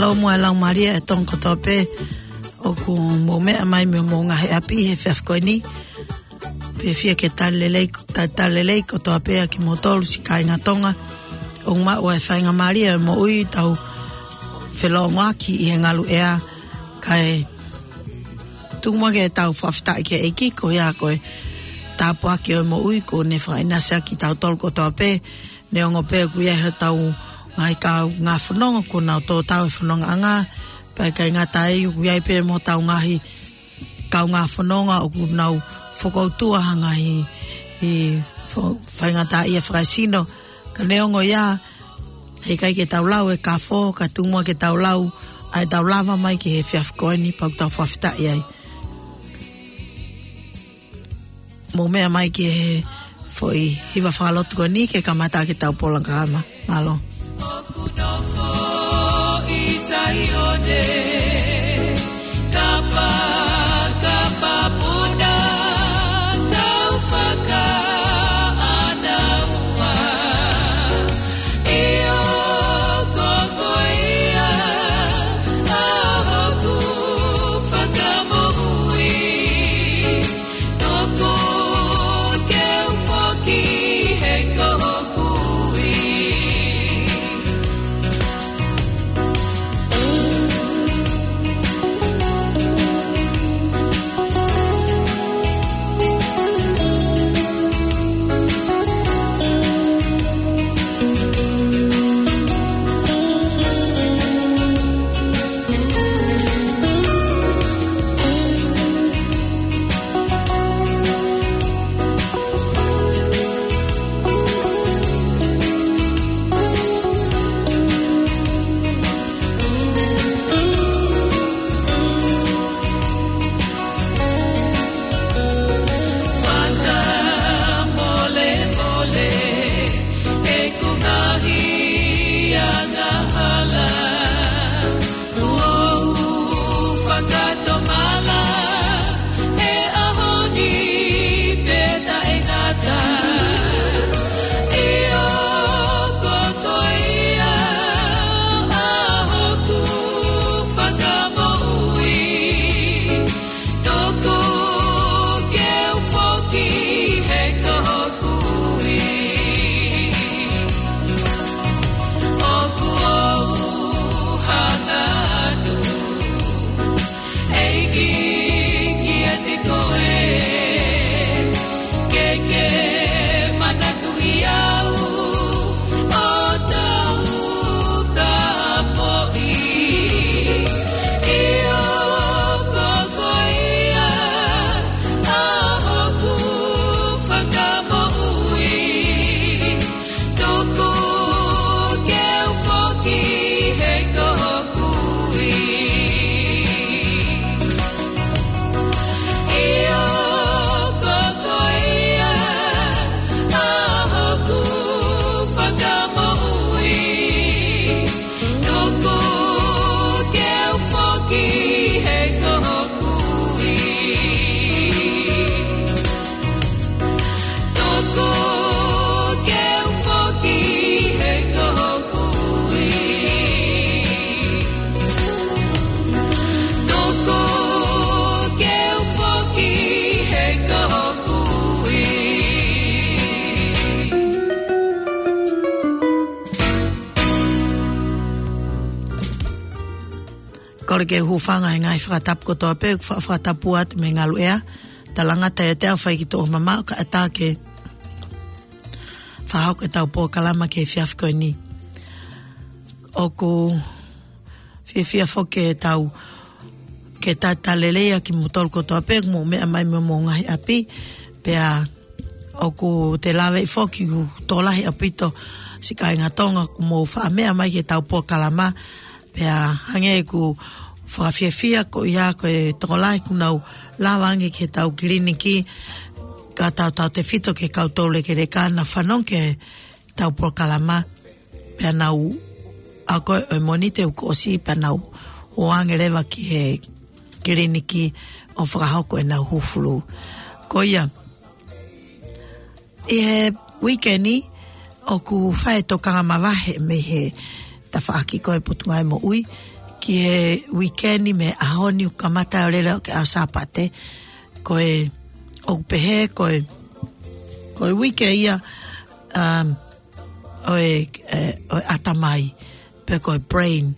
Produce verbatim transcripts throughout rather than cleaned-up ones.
ʻOmai e laumālie ʻa e Tonga kotoa pē ʻoku mou meʻa mai mei homou ngaahi ʻapi he efiafi ko eni. Fiefia ke talitali lelei, ta-, talitali lelei kotoa pē ʻa kimoutolu siʻi kāinga Tonga. ʻOku maʻu ʻa e faingamālie ʻo e moʻui tau felōngoaki ʻi he ngaluʻea, kae tuku muʻa ke tau fakafetaʻi ki he ʻEiki koeʻuhi ko e tāpuaki ʻo e moʻui kuo ne fakaʻinasiʻaki kitautolu kotoa pē. Neongo pē ʻoku ʻi ai hotau ngaahi kaungā fononga kuo nau tō tau e fonongaʻanga, pea ʻikai ngata ai ʻoku ʻi ai pē mo hotau ngaahi kaungā fononga ʻoku nau fokoutua ha ngaahi ʻi fo-, faingataʻaʻia fakaesino. Ka neongo ia, heʻikai ke tau lau e kafo, ka tuku muʻa ke tau lau ʻa ʻetau lava mai ki he efiafi ko eni, pea ʻoku tau fakafetaʻi ai. Mou meʻa mai ki he foʻi hiva fakalotu ko eni ke kamata ʻaki ʻetau polokalama. Mālō. Kole ke u hūfanga he ngaahi fakatapu kotoa pē, fa-, fakatapu atu mei he ngaluʻea. Talangata ʻiate au fai ki tuʻa mamaʻo kae ʻatā ke fakahoko ʻetau polokalama ki he efiafi ko eni. ʻOku fiefia foki ke tau, ke talitali lelei ʻa kimoutolu kotoa pē ʻoku mou meʻa mai mei homou ngaahi ʻapi, pea ʻoku te lave foki ʻoku tokolahi ʻaupito siʻi kāinga Tonga ʻoku mou faʻa meʻa mai ki heʻetau polokalama, pea hangē ʻeku fakafiefia ko ia ko e tokolahi ʻoku nau lava ange ki heʻetau kiliniki, ka tautautefito ki he kau toulekeleka naʻa nau fanongo ki heʻetau polokalama, pea nau ako ʻo e Mōnite kuo ʻosi, pea nau ō ange leva ki he kiliniki ʻo fakahoko ʻenau hū fulū. Ko ia, ʻi he uike ni, ʻoku fai e tokanga mavahe mei he tafaʻaki ko e Potungāue Moʻui ki he uike ni mei he ʻaho ni ʻo kamata ʻo lele ki he ʻaho Sāpate. Ko e, ʻoku pehē, ko e, ko e uike ia, um, ʻo e, e, ʻo e ʻatamai, pe ko e brain.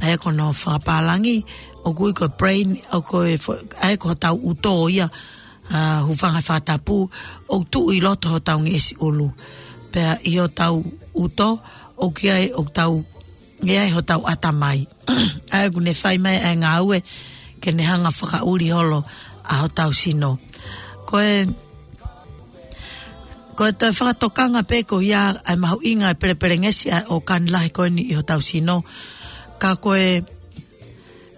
ʻA ia ko hono fakapālangi, ʻoku ui ko e brain, ʻoku ʻi ai fo-, ʻa ia ko hotau ʻuto ia, ʻa, hūfanga he fakatapu, ʻoku tuʻu ʻi loto hotau ngeʻesi ʻulu. Pea ʻi hotau ʻuto, ʻoku ʻi ai, ʻoku tau, ʻi ai hotau ʻatamai. ʻA ia ʻoku ne fai mai ʻa e ngāue, ke ne hanga fakaʻuli holo ʻa hotau sino. Ko e, ko e toe fakatokanga pē ko ia ʻa e mahuʻinga ʻa e pelepelengesi ʻa e ʻōkani lahi ko eni ʻi hotau sino. Ka ko e,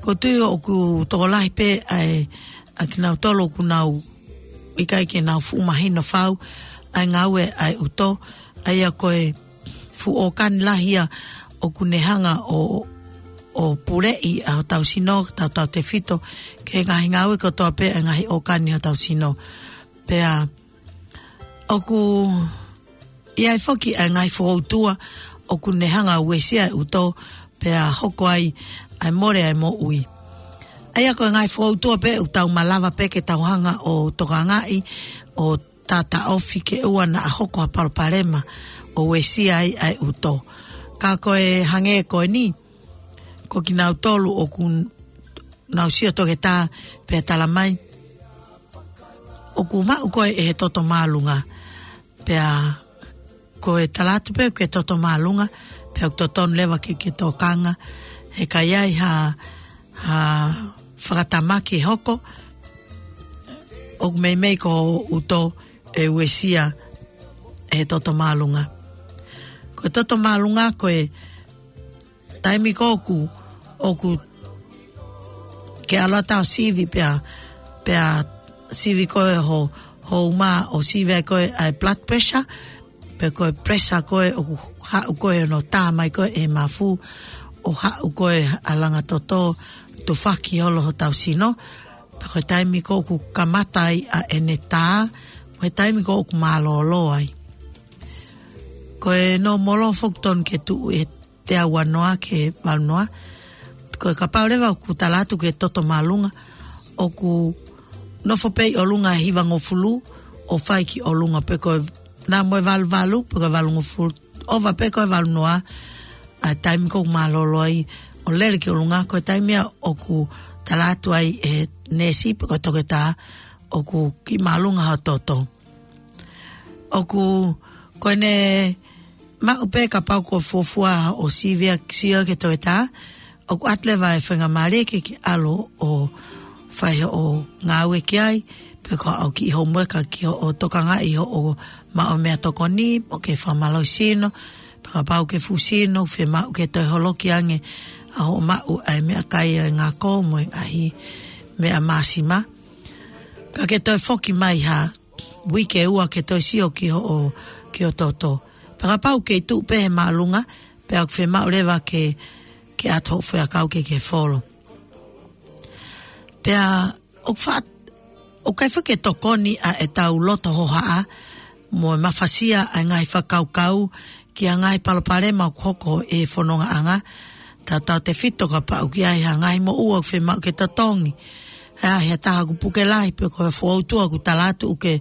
ʻoku ou tui ʻoku tokolahi pē ʻa e, ʻa kinautolu ʻoku nau ʻikai ke nau fuʻu mahino fau ʻa e ngāue ʻa e ʻuto, ʻa ia ko e fuʻu ʻōkani lahi ia ʻoku ne hanga ʻo, ʻo puleʻi ʻa hotau sino, tautautefito ki he ngaahi ngāue kotoa pē ʻa e ngaahi ʻōkani hotau sino. Pea ʻoku ʻi ai foki ʻa e ngaahi fokoutua ʻoku ne hanga ʻo uesia e ʻuto, pea hoko ai ʻa e mole ʻa e moʻui. ʻA ia ko e ngaahi fokoutua pē ʻoku tau malava pē ke tau hanga ʻo tokangaʻi, ʻo taʻotaʻofi ke ʻoua naʻa hoko ha palopalema ʻo uesia ai ʻa e ʻuto. Ka ko e hangē ko eni, ko kinautolu ʻoku nau sio toketā pea tala mai, ʻoku maʻu koe ʻe he toto māʻolunga. Pea ko e tala atu pē ke toto māʻolunga, pea ʻoku totonu leva ke, ke tokanga, he ka ʻi ai ha, ha fakatamaki hoko, ʻoku meimei ko hoʻo ʻuto ʻe uesia ʻe he toto māʻolunga. Ko e toto māʻolunga ko e taimi ko ē ʻoku, ʻoku ke ʻalu atu ʻo sivi pea, pea sivi koe ho, ho uma ʻo sivi ai koe ʻa e blood pressure, pe ko e pressure ko ē ʻoku haʻu ko ē hono tā mai ko ē ʻe he mafu, ʻo haʻu ko ē ʻa e langa toto, tufaki holo hotau sino, pea ko e taimi ko ē ʻoku kamata ai ʻa ʻene tā, mo e taimi ko ē ʻoku mālōlō ai. Ko e nōmolo foki tonu ke tuʻu ʻi he teau ua noa ki he valu noa. Ko e kapau leva ʻoku tala atu ke toto māʻolunga, ʻoku nofo pē ʻi ʻolunga ʻe hivangofulu ʻo fai ki ʻolunga, pe ko e nā mo e valu valu, pe ko e valungofulu, ʻova pē ko e valu noa, ʻa e taimi ko ē ʻoku mālōlō ai ʻo lele ki ʻolunga, ko e taimi ia ʻoku tala atu ai ʻe he neesi, pe ko e toketā, ʻoku kiʻi māʻolunga hoʻo toto. ʻOku, ko ʻene maʻu pē kapau ko e fuofua ʻo sivi ʻa e sio ki he toketā, ʻoku ʻoatu leva e faingamālie ke ke ʻalu ʻo fai hoʻo ngāue ki ai, pe ko haʻo kiʻi homework ki hoʻo tokangaʻi hoʻo maʻu meʻatokoni, mo ke fakamālohisino, pe kapau ʻoku ke fuʻu sino, fiemaʻu ke toe holoki ange ʻa hoʻo maʻu ʻa e meʻakai ʻa e ngako mo e ngaahi meʻa māsima. Ka ke toe foki mai ha uike ʻe ua ke toe sio ki hoʻo, ki hoʻo toto. Pea kapau ʻoku kei tuʻu pē he māʻolunga, pea ʻoku fiemaʻu leva ke, ke ʻatu hoʻo foʻiʻakau ke, ke folo. Pea ʻoku fa-, ʻoku ʻikai foki ke tokoni ʻa ʻetau loto hohaʻa, mo e mafasia ʻa e ngaahi fakakaukau, ki ha ngaahi palopalema ʻoku hoko ʻi he fonongaʻanga, tautautefito kapau ʻoku ʻi ai ha ngaahi moʻua ʻoku fiemaʻu ke totongi. ʻA ia, ha taha ʻoku puke lahi, pe ko ha fokoutua ʻoku tala atu ʻoku ke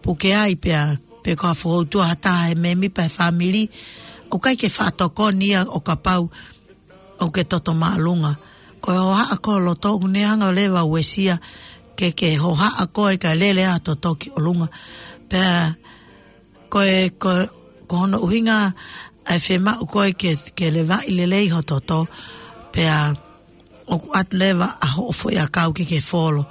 puke ai pea, pe ko ha fokoutua ha taha he mēmipa he fāmili, ʻoku ʻikai ke faʻa tokoni ia ʻo kapau ʻoku ke toto māʻolunga. Ko e hohaʻa ko ē ho loto ʻoku ne hanga leva ʻo uesia, ke ke hohaʻa koe kae lele ʻa e toto ki ʻolunga. Pea ko e, ko, ko hono ʻuhinga ʻa e fiemaʻu ko ē ke, ke levaʻi lelei hoʻo toto, pea ʻoku ʻoatu leva ʻa hoʻo foʻiʻakau ke ke folo.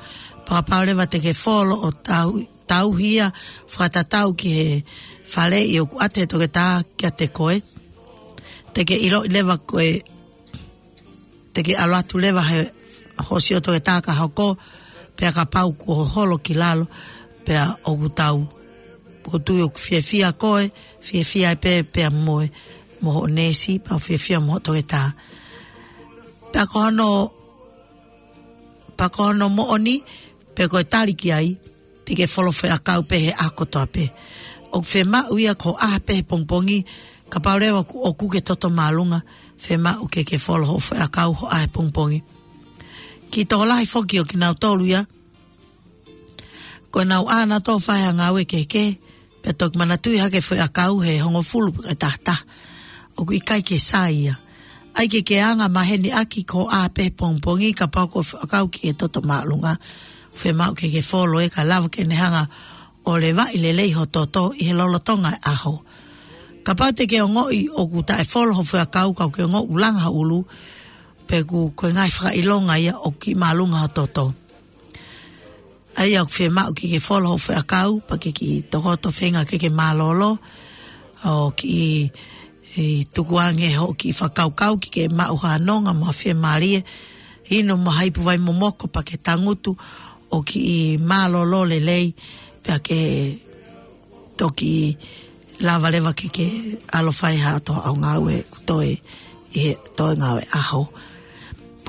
Pea kapau leva te ke folo ʻo tau, tauhi ia fakatatau ki he faleʻi ʻoku ʻoatu ʻe he toketā kiate koe, te ke ʻiloʻi leva ko e te ke ʻalu atu leva he hoʻo sio toketā ka hoko, pea kapau kuo holo ki lalo, pea ʻoku tau, ʻoku ou tui ʻoku fiefia koe, fiefia ai pē, pea mo e, mo hoʻo neesi, pea fiefia mo hoʻo toketā. Pea ko hono, pea ko hono moʻoni, pe ko e tali ki ai, te ke folo foʻiʻakau pē he ʻaho kotoa pē. ʻOku fiemaʻu ia ko e ʻaho pē he pongipongi, kapau leva ʻoku, ʻoku ke toto māʻolunga, Fiemaʻu ke ke folo hoʻo foʻi ʻakau hoʻo ʻaho he pongipongi. Kiʻi tokolahi foki ʻo kinautolu ia, ko ʻenau ʻā nautolu ʻo fai ha ngāue kehekehe, pea toki manatuʻi hake foʻi ʻakau he hongofulu pē taha taha. ʻOku ʻikai ke sai ia. ʻAi ke ke anga maheni ʻaki ko ʻā pē he pongipongi kapau ko e foʻi ʻakau ke toto māʻolunga. Fiemaʻu ke ke folo ē ka lava ke ne hanga ʻo levaʻi lelei ho toto ʻi he lolotonga e ʻaho. Kapau te ke ongoʻi ʻoku taʻefolo ho foʻi ʻakau ka ʻoku ke ongoʻi ʻoku langa ho ʻulu, pe ʻoku ko e ngaahi fakaʻilonga ia ʻoku kiʻi māʻolunga ho toto. ʻAi ʻoku fiemaʻu ke ke folo ho foʻi ʻakau, pea ke kiʻi tokoto feinga ke ke mālōlō, ʻo kiʻi, ʻi tukuange hoʻo kiʻi fakakaukau ke ke maʻu ha nonga mo ha fiemālie, inu mo ha ipu vai momoko pea ke tangutu ʻo kiʻi mālōlō lelei, pea ke toki lava leva ke ke ʻalu ʻo fai ha toe ʻaonga ʻoku toe ʻi he toe ngāue ʻaho.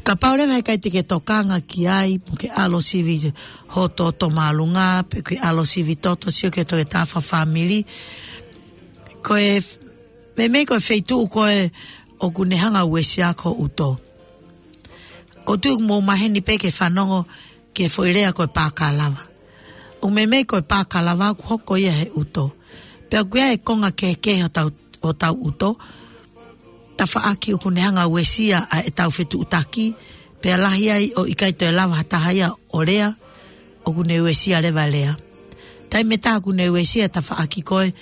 Kapau leva he ʻikai te ke tokanga ki ai, mo ke ʻalu ʻo sivi ho toto māʻolunga, pe ke ʻalu ʻo sivi toto sio ki he toe tafa fāmili. Ko e, meimei ko e feituʻu ko ē ʻoku ne hanga ʻo uesia ko e ʻuto. ʻOku ou tui ʻoku mou maheni pē ke fanongo ki he foʻi lea ko e pākalava. ʻOku meimei ko e pākalava ʻoku hoko ia he ʻuto. Pea ʻoku ʻi ai e konga kehekehe ʻo tau, ʻo tau ʻuto. Tafaʻaki ʻoku ne hanga ʻo uesia ʻa ʻetau fetuʻutaki. Pea lahi ai ʻoku ʻikai toe lava ha taha ia ʻo lea, ʻoku ne uesia leva e lea. Taimi ʻe taha ʻoku ne uesia e tafaʻaki ko ē,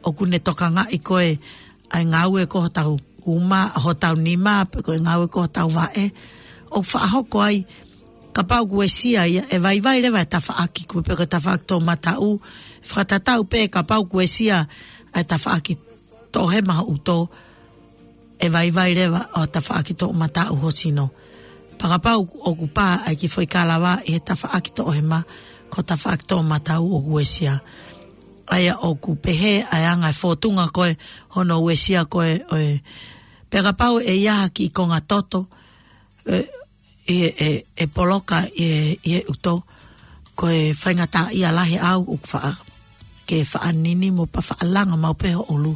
ʻoku ne tokangaʻi ko ē ʻa e ngāue ko hotau uma, hotau nima, pe ko e ngāue ko hotau vaʻe. ʻOku faʻa hoko ai, kapau ʻoku uesia ia, ʻe vaivai leva e tafaʻaki ko ē, pe ko e tafaʻaki toʻomataʻu, fakatatau pē kapau ʻoku uesia ʻa e tafaʻaki toʻohema ho ʻuto, ʻe vaivai leva ʻa e tafaʻaki toʻomataʻu ho sino. Pea kapau ʻoku pā ʻa e kiʻi foʻi kalava ʻi he tafaʻaki toʻohema, ko e tafaʻaki toʻomataʻu ʻoku uesia. ʻA ia ʻoku pehē ʻa e anga e fōtunga ko ē hono uesia ko ē ʻo e. Pea kapau ʻe ʻi ai ha kiʻi konga toto, ʻe, ʻe, ʻe, ʻe poloka ʻi he, ʻi he ʻuto, ko e faingataʻaʻia lahi ʻaʻau ʻoku faʻa, ke faʻa nini mo pea faʻa langa maʻu pē ho ʻulu.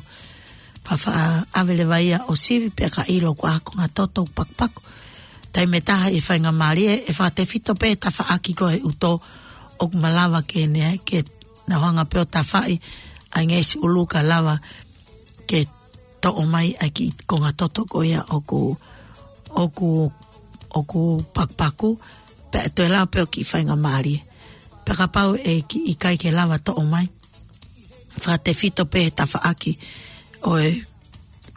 Pea faʻa ʻave leva ia ʻo sivi pea ka ʻilo ko e konga toto ʻoku pakupaku. Taimi ʻe taha ʻi he faingamālie, ʻe fakatefito pē tafaʻaki ko ē he ʻuto, ʻoku malava ke ne, ke nau hanga pē ʻo tafaʻi ʻa e ngeʻesi ʻulu ka lava ke toʻo mai ʻa e kiʻi konga toto ko ia ʻoku, ʻoku, ʻoku pakupaku, pea ʻe toe lava pē ʻo kiʻi faingamālie. Pea kapau ʻe kiʻi ʻikai ke lava toʻo mai, fakatefito pē he tafaʻaki ʻo e,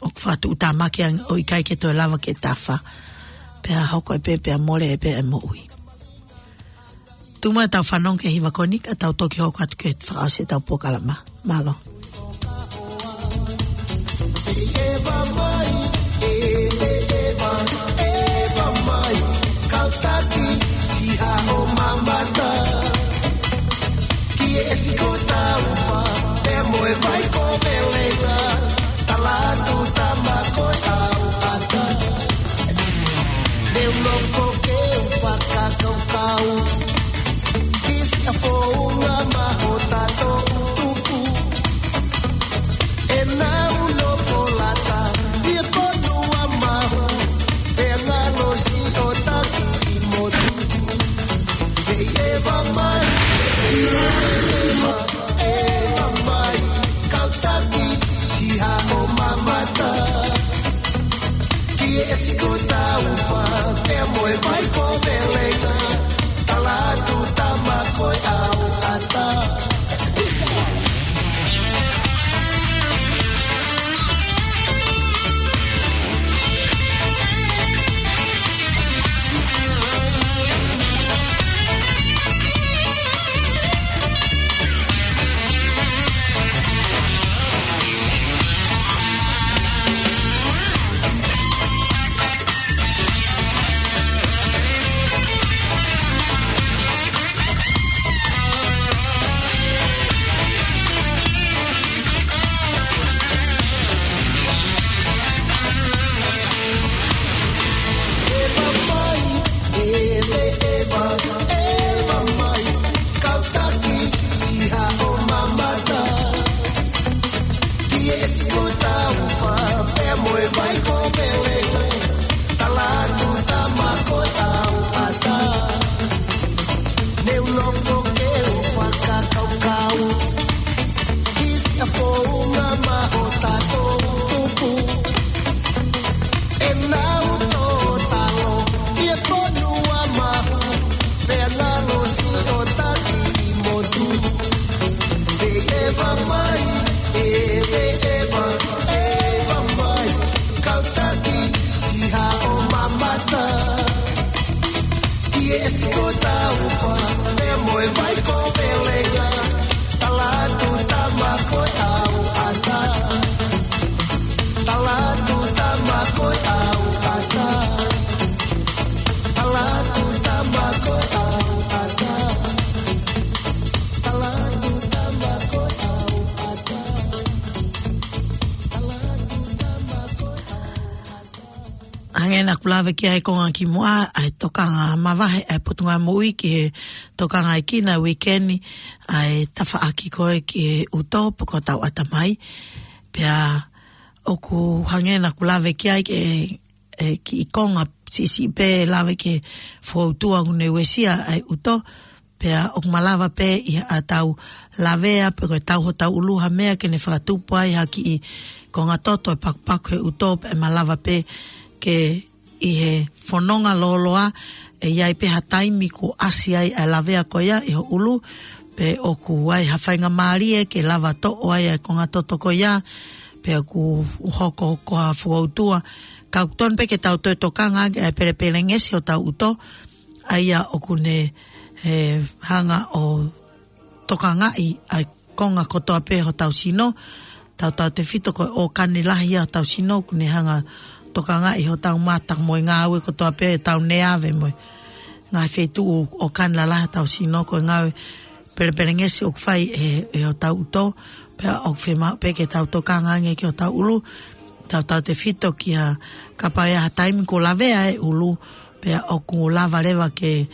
ʻoku fakatuʻutāmaki ange ʻo ʻikai ke toe lava ke tafa. Pea hoko ai pē, pea mole ai pē e moʻui. Tuku muʻa tau fanongo ki he hiva ko eni, ka tau toki hoko atu ki he fakaʻosi ʻetau polokalama. Mālō. Kau. Kisi a founga ma o tatou tupu. E nau nofo lata, ia ko nua mahu, e ngalo si o taki i motu. Kei e va mai, e va mai, kau taki, si ha o mamata. Ki e siko tau fa, ke mo e vai ko velenga, tala atu tama ko e au ata. Kuo lave ki ai e konga kimuʻa, ʻa e tokanga mavahe ʻa e Potungāue Moʻui ki he tokangaʻi ʻa e uike ni ʻa e tafaʻaki ko ē ki he ʻuto pe ko hotau ʻatamai. Pea ʻoku hangē naʻa ku lave ki ai ki he, e, kiʻi konga siʻisiʻi pē, lave ki he fokoutua ʻoku ne uesia ʻa e ʻuto. Pea ʻoku malava pē ʻi haʻatau lavea pe ko e tau hotau ʻulu ha meʻa ke ne fakatupu ai ha kiʻi konga toto ʻo e pakupaku he ʻuto, pea malava pē ke ʻi he fononga lōloa ʻe ʻi ai pē ha taimi kuo ʻasi ai ʻa e lavea ko ia ʻi ho ʻulu, pe ʻoku ʻi ai ha faingamālie ke lava toʻo ai ʻa e konga toto ko ia, pe ʻoku hoko ko ha fokoutua. Ka ʻoku tonu pē ke tau toe tokanga ki he pelepelengesi ʻo hotau ʻuto, ʻa ia ʻoku ne, e, hanga ʻo tokangaʻi ʻa e konga kotoa pē hotau sino. Tautautefito ko e ʻōkani lahi ʻa hotau sino, ʻoku ne hanga tokangaʻi hotau mata mo e ngāue kotoa pē, tau neave mo e ngaahi feituʻu ʻōkani lalahi hotau sino, ko e ngāue pelepelengesi ʻoku fai ʻe, ʻe hotau ʻuto. Pea ʻoku fiemaʻu pē ke tau tokanga ange ki hotau ʻulu, tautautefito ki ha, kapau ʻe ʻi ai ha taimi kuo lavea e ʻulu, pea ʻoku lava leva ke,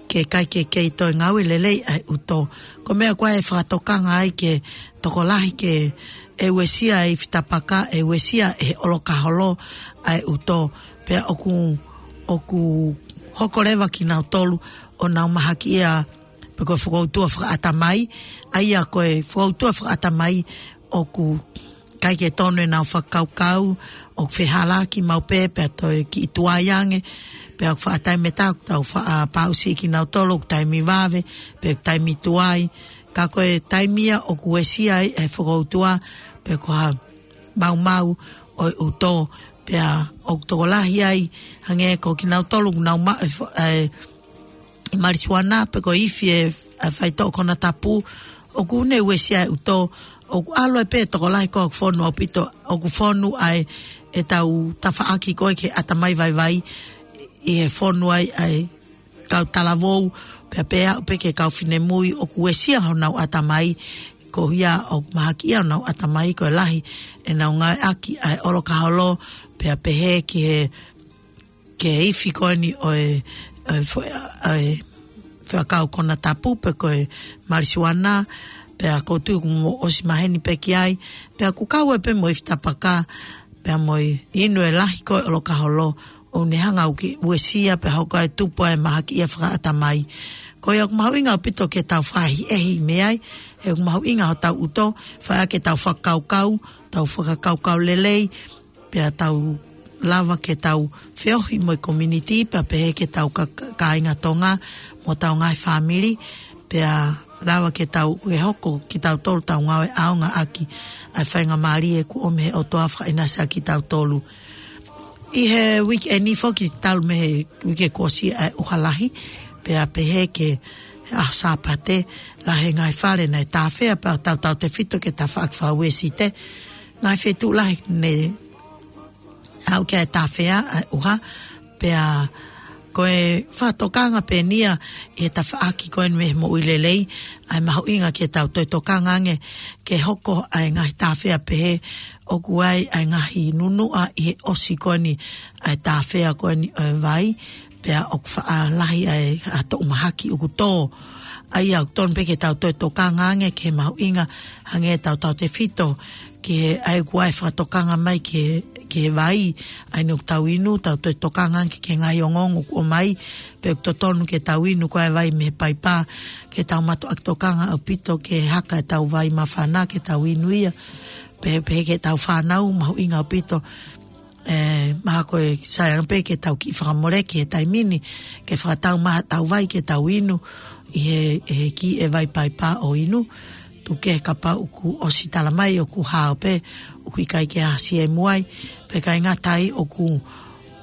ke ʻikai ke kei toe ngāue lelei ʻa e ʻuto. Ko e meʻa ko ē ʻe fakatokanga ai ki he tokolahi ke ʻe uesia ʻa e ifi tapaka, ʻe uesia ʻe he ʻolokaholo ʻa e ʻuto. Pea ʻoku, ʻoku hoko leva kinautolu ʻo nau mahakiʻia pe ko e fokoutua fakaʻatamai, ʻa ia ko e fokoutua fakaʻatamai ʻoku ʻikai ke tonu ʻenau fakakaukau, ʻoku fehālaaki maʻu pē, pea toe kiʻi tuai ange, pea ʻoku faʻa taimi ʻe taha ʻoku tau faʻa pāusi kinautolu ʻoku taimi vave, pe ʻoku taimi tuai. Ka ko e taimi ia ʻoku uesia ai e fokoutua, pe ko ha maumau ʻo e ʻuto, pea ʻoku tokolahi ai, hangē ko kinautolu ʻoku nau maʻu e fo-, e, e marisuana, pe ko e ifi e, e faitoʻo konatapu, ʻoku ne uesia e ʻuto, ʻoku ʻalu ai pē tokolahi ko ē ʻoku fonu ʻaupito, ʻoku fonu ai ʻetau tafaʻaki ko ē ki he ʻatamai vaivai, ʻi he fonu ai ʻa e kau talavou, pea pehē pē ki he kau finemui, ʻoku uesia honau ʻatamai, ko ia ʻoku mahakiʻia honau ʻatamai, ko e lahi ʻenau ngāueʻaki ʻa e ʻolokaholo, pea pehē ki he, ki he ifi ko eni ʻo e, ʻo e fo-, ʻo e faitoʻo konatapu pe ko e marisuana, pea ʻoku ou tui kuo mou ʻosi maheni pē ki ai, pea ʻoku kau ai pē mo e ifi tapaka, pea mo e inu e lahi ko ē ʻolokaholo, ʻoku ne hanga ʻo uesia pea hoko ai e tupu ʻa e mahakiʻia fakaʻatamai. Ko ia ʻoku mahuʻinga ʻaupito ke tau fakaʻehiʻehi mei ai, he ʻoku mahuʻinga hotau ʻuto, fai ke tau fakakaukau, tau fakakaukau lelei, pea tau lava ke tau feohi mo e community, pea pehē ki heʻetau ka-, ka-, kāinga Tonga, mo hotau ngaahi fāmili, pea lava ke tau, ke hoko kitautolu ʻetau ngāue ʻaongaʻaki ʻa e faingamālie kuo ʻomi ʻe he ʻOtua fakaʻinasi ʻa kitautolu. ʻI he uike ni foki talu mei he uike kuo ʻosi ʻa e ʻuha lahi, pea pehē ki he ʻaho Sāpate, lahi e ngaahi fale naʻe tāfea pea tautautefito ki he tafaʻaki fakauesite. Ngaahi feituʻu lahi ne aʻu ki ai e tāfea ʻa e ʻuha, pea ko e fakatokanga pē eni ia ʻi he tafaʻaki ko eni mei he moʻui lelei, ʻa e mahuʻinga ke tau toe tokanga ange ke hoko ʻa e ngaahi tāfea pehē, ʻoku ʻi ai ʻa e ngaahi nunuʻa ʻi he ʻosi ko eni ʻa e tāfea ko eni ʻo e vai, pea ʻoku faʻa lahi ʻa e, ʻa e toʻu mahaki ʻoku tō. ʻA ia ʻoku tonu pē ke tau toe tokanga ange ki he mahuʻinga, hangē tautautefito ki he, ʻa ia ʻoku ʻi ai e fakatokanga mai ki he, ki he vai, ʻa ia ʻoku tau inu, tau toe tokanga ange ki he ngaahi ongoongo ʻoku ʻomai, pe ʻoku totonu ke tau inu ko ā e vai mei he paipa, ke tau mātuʻaki tokanga ʻaupito ki he haka ʻetau vai māfana ke tau inu ia, pe, pe ki heʻetau fānau, mahuʻinga ʻaupito, ʻe, mahalo ko e sai ange pē ke tau kiʻi fakamoleki he taimi ni, ke fakatau mai haʻatau vai ke tau inu, ʻi he, ʻi he kiʻi vai paipa ʻo inu, tuku kehe kapau ʻoku ʻosi tala mai ʻoku hao pē, ʻoku ʻikai ke ʻasi e muʻa, pea ʻikai ngata ai ʻoku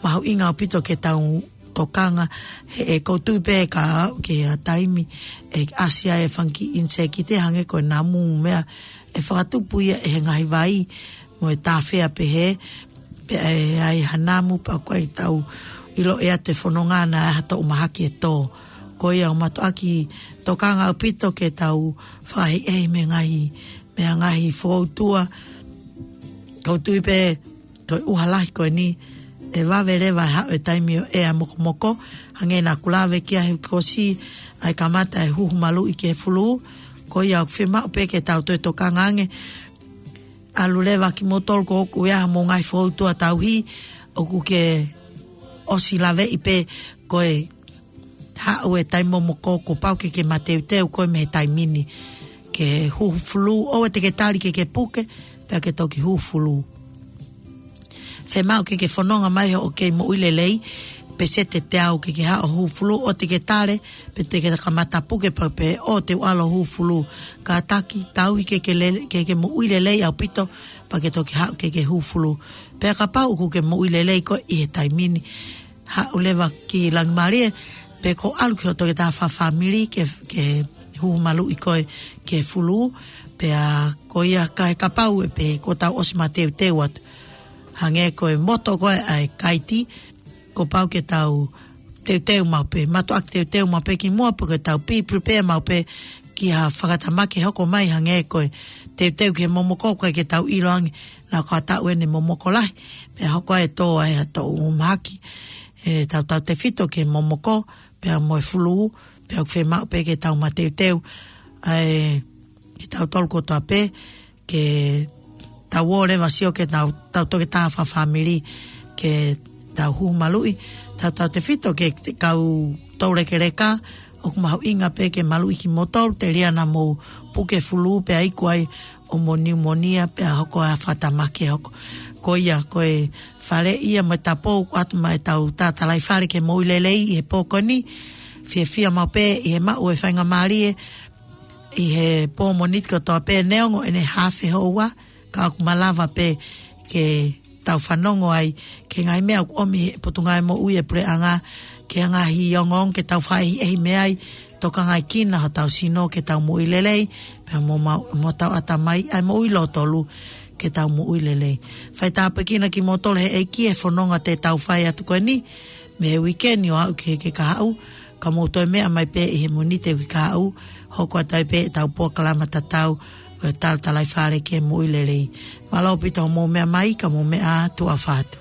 mahuʻinga ʻaupito ke tau tokanga, he ʻoku ou tui pē ka aʻu ki ha taimi, ʻe ʻasi ai e fanga kiʻi ʻinisēkite hangē ko e namu meʻa, ʻe fakatupu ia ʻe he ngaahi vai, mo e tāfea pehē, pea ʻe ʻi ai ha namu pea ʻoku ʻikai tau ʻilo ʻe ʻiate fononga naʻe ʻi ai ha toʻu mahaki ʻe tō. Ko ia ʻoku mātuʻaki tokanga ʻaupito ke tau fakaʻehiʻehi mei he ngaahi, mei he ngaahi fokoutua, ʻoku ou tui pē, ko e ʻuha lahi ko eni, ʻe vave leva ʻa e taimi ʻo e ʻea mokomoko, hangē naʻa ku lave ki ai he kuo ʻosi ʻa e kamata ʻa e huhu maluʻi ki he fulū. Ko ia ʻoku fiemaʻu pē ke tau toe tokanga ange. ʻAlu leva kimoutolu ko ʻoku ʻi ai haʻamou ngaahi foʻi tuʻa tauhi, ʻoku ke ʻosi laveʻi pē ko e haʻu e taimi momoko kuo pau ke ke mateuteu koe mei he taimi ni ke huhu fulū, ʻoua te ke tali ke ke puke, pea ke toki huhu fulū. Fiemaʻu ke ke fononga mai hoʻo kei moʻui lelei, peseti ʻe teau ke ke haʻu ʻo huhu fulū, ʻoua te ke tali, pe te ke kamata puke pea pehē ʻoua te u ʻalu ʻo huhu fulū. Kātaki, tauhi ke ke lele-, ke ke moʻui lelei ʻaupito, pea ke toki haʻu ke ke huhu fulū. Pea kapau ʻoku ke moʻui lelei koe ʻi he taimi ni, haʻu leva ki Langimālie, pe ko e ʻalu ki hoʻo toketā fakafāmili ke, ke huhu maluʻi koe ki he fulū, pea ko ia ka he kapau ʻe pehē kuo tau ʻosi mateuteu atu. Hangē ko e moto ko ē ʻa e kaiti, kuo pau ke tau teuteu maʻu pē, mātuʻaki teuteu maʻu pē kimuʻa, pe ke tau be prepared maʻu pē ki ha fakatamaki hoko mai, hangē ko e teuteu ki he momoko, ʻoku ʻikai ke tau ʻilo ange naʻa ko ha taʻu ʻeni momoko lahi, pea hoko ai e tō ai ha tō mahaki, ʻe tautautefito ki he momoko, pea mo e fulū, pea ʻoku fiemaʻu pē ke tau mateuteu, ʻa e, kitautolu kotoa pē, ke tau ō leva ʻo sio ki heʻetau, ʻetau toketā fakafāmili, ke tau huhu maluʻi, tautautefito ki he kau toulekeleka, ʻoku mahuʻinga pē ke maluʻi kimoutolu, telia naʻa mou puke fulū pea iku ai ʻo mou niumonia pea hoko ʻa e fakatamaki ʻe hoko. Ko ia, ko e faleʻi ia mo e tapu ʻoku ʻoatu maʻa ʻetau tā Talaifale ki he moʻui lelei ʻi he pō ko eni, fiefia maʻu pē ʻi he maʻu e faingamālie, ʻi he pō Mōnite kotoa pē neongo ʻene haafe houa, ka ʻoku malava pē ke tau fanongo ai ki he ngaahi meʻa ʻoku ʻomi ʻe he Potungāue Moʻui ʻa e Puleʻanga, ki he ngaahi ongoongo ke tau fakaʻehiʻehi mei ai, tokangaekina hotau sino ke tau moʻui lelei, pea mo ma-, mo hotau ʻatamai, ʻa e moʻui lōtolu ke tau moʻui lelei. Fai tāpuekina kimoutolu ʻe he ʻEiki he fononga te tau fai atu ko eni, mei he uike ni ʻo aʻu ki he uike kahaʻu, ka mou toe meʻa mai pē ʻi he Mōnite uike kahaʻu, hoko atu ai pē ʻetau polokalama tatau ʻo e tā Talaifale ki he moʻui lelei. Mālō ʻaupito hoʻomou meʻa mai, ka mou meʻa ā, tuʻa ʻofa atu.